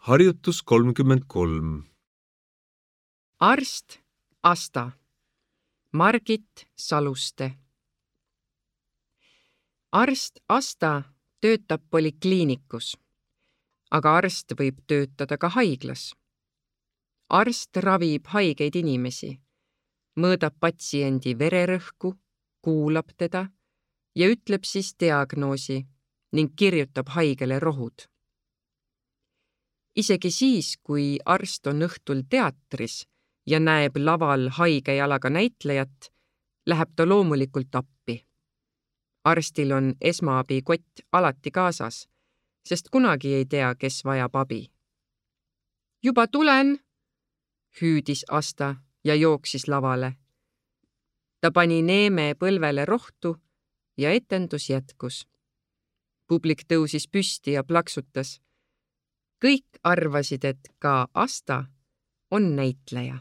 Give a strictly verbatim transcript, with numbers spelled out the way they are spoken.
Harjutus kolmkümmend kolm. Arst Asta, Margit Saluste. Arst Asta töötab polikliinikus, aga arst võib töötada ka haiglas. Arst ravib haigeid inimesi, mõõdab patsiendi vererõhku, kuulab teda ja ütleb siis diagnoosi ning kirjutab haigele rohud. Isegi siis, kui arst on õhtul teatris ja näeb laval haige jalaga näitlejat, läheb ta loomulikult appi. Arstil on esmaabikott alati kaasas, sest kunagi ei tea, kes vajab abi. Juba tulen, hüüdis Asta ja jooksis lavale. Ta pani neeme põlvele rohtu ja etendus jätkus. Publik tõusis püsti ja plaksutas. Kõik arvasid, et ka Asta on näitleja.